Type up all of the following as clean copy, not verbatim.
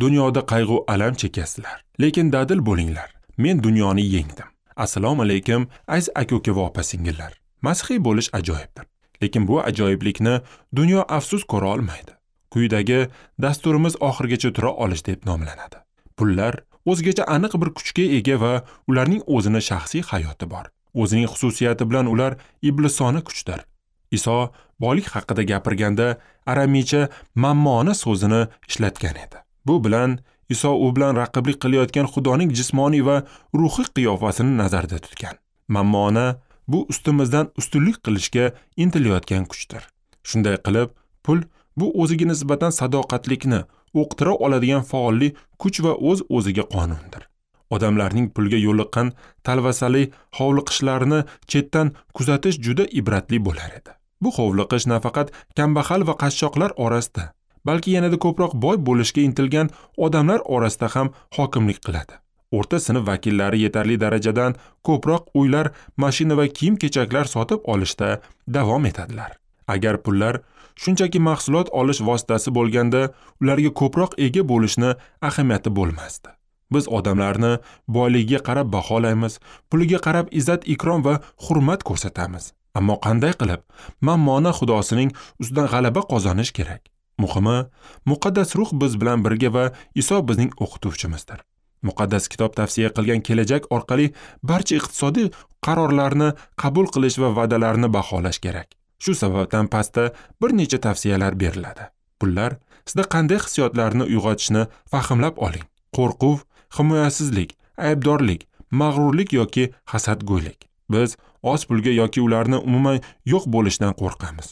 Dunyoda qayg'u alam chekasizlar, lekin dadil bo'linglar. Men dunyoni yengdim. Assalomu alaykum, aziz aka-uka va opa-singillar. Masihiy bo'lish ajoyibdir. Lekin bu ajoyiblikni dunyo afsus ko'ra olmaydi. Quyidagi dasturimiz oxirigacha tura olish deb nomlanadi. Pullar o'zgacha aniq bir kuchga ega va ularning o'zini shaxsiy hayoti bor. O'zining xususiyati bilan ular iblisona kuchdir. Iso boylik haqida gapirganda aramiycha mammona so'zini ishlatgan edi. Bu bilan Iso u bilan raqiblik qilayotgan Xudoning jismoniy va ruhiy qiyofasini nazarda tutgan. Mammona bu ustimizdan ustunlik qilishga intilayotgan kuchdir. Shunday qilib, pul bu o'ziga nisbatan sadoqatlikni o'qtira oladigan faollik kuch va o'z-o'ziga qonundir. Odamlarning pulga yo'liqqan talvasali hovliqishlarini chetdan kuzatish juda ibratli bo'lar edi. Bu hovliqish nafaqat kambag'al va qashshoqlar orasida, balki yanada ko'proq boy bo'lishga intilgan odamlar orasida ham hokimlik qiladi. O'rta sinf vakillari yetarli darajadan ko'proq uylar, mashina va kiyim-kechaklar sotib olishda davom etadilar. Agar pullar shunchaki mahsulot olish vositasi bo'lganda, ularga ko'proq ega bo'lishni ahamiyati bo'lmasdi. Biz odamlarni boyligiga qarab baholaymiz, puliga qarab izzat-ikrom va hurmat ko'rsatamiz. Ammo qanday qilib mammona xudosining ustidan g'alaba qozonish kerak? Muhimi, muqaddas ruh biz bilan birga va Iso bizning o'qituvchimizdir. Muqaddas kitob tavsiya qilgan kelajak orqali barcha iqtisodiy qarorlarni qabul qilish va va'dalarni baholash kerak. Shu sababdan pastda bir necha tavsiyalar beriladi. Pullar sizda qanday hissiyotlarni uyg'otishini fahmlab oling. Qo'rquv, himoyasizlik, aybdorlik, mag'rurlik yoki hasadgo'ylik. Biz oz pulga yoki ularni umuman yo'q bo'lishidan qo'rqamiz.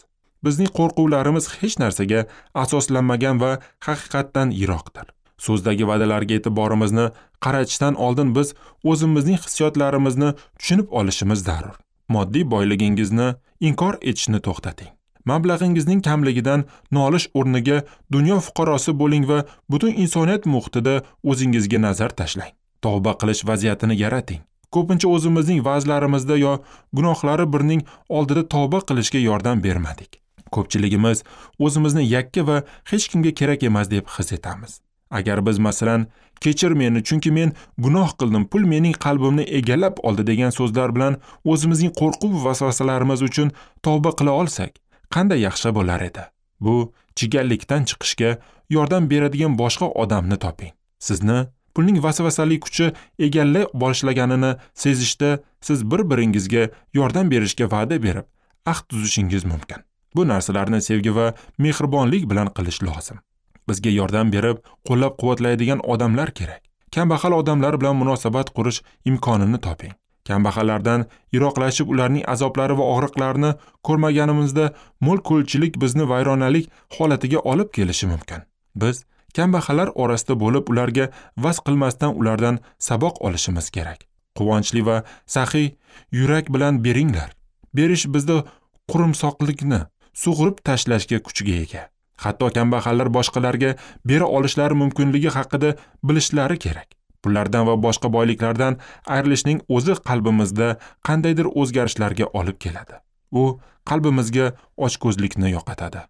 Bizning qo'rquvlarimiz hech narsaga asoslanmagan va haqiqatdan yiroqdir. So'zdagi va'dalarga e'tiborimizni qaratishdan oldin biz o'zimizning hissiyotlarimizni tushunib olishimiz zarur. Moddiy boyligingizni inkor etishni to'xtating. Mablag'ingizning kamligidan nolish o'rniga dunyo fuqarosi bo'ling va butun insoniyat muhitida o'zingizga nazar tashlang. Tavba qilish vaziyatini yarating. Ko'pincha o'zimizning va'zlarimizda yo gunohlari birning oldida tavba qilishga yordam bermadik. Ko'pchiligimiz o'zimizni yakka va hech kimga kerak emas deb his etamiz. Agar biz masalan, kechir meni chunki men gunoh qildim, pul mening qalbimni egallab oldi degan so'zlar bilan o'zimizning qo'rquv va vasvasalarimiz uchun tavba qila olsak, qanday yaxshi bo'lar edi. Bu chigallikdan chiqishga yordam beradigan boshqa odamni toping. Sizni pulning vasvasali kuchi egallay boshlaganini sezishda siz bir-biringizga yordam berishga va'da berib, ahd tuzishingiz mumkin. Bu narsalarni sevgi va mehribonlik bilan qilish lozim. Bizga yordam berib, qo'llab-quvvatlaydigan odamlar kerak. Kambag'al odamlar bilan munosabat qurish imkonini toping. Kambag'allardan yiroqlashib, ularning azoblari va og'riqlarini ko'rmaganimizda mo'l-ko'lchilik bizni vayronalik holatiga olib kelishi mumkin. Biz kambag'allar orasida bo'lib, ularga vaz qilmasdan ulardan saboq olishimiz kerak. Quvonchli va saxiy yurak bilan beringlar. Berish bizda qurumsoqlikni sug'urib tashlashga kuchga ega. Hatto kambag'allar boshqalarga bera olishlari mumkinligi haqida bilishlari kerak. Pullardan va boshqa boyliklardan ayrilishning o'zi qalbimizda qandaydir o'zgarishlarga olib keladi. U qalbimizga ochko'zlikni yo'qotadi.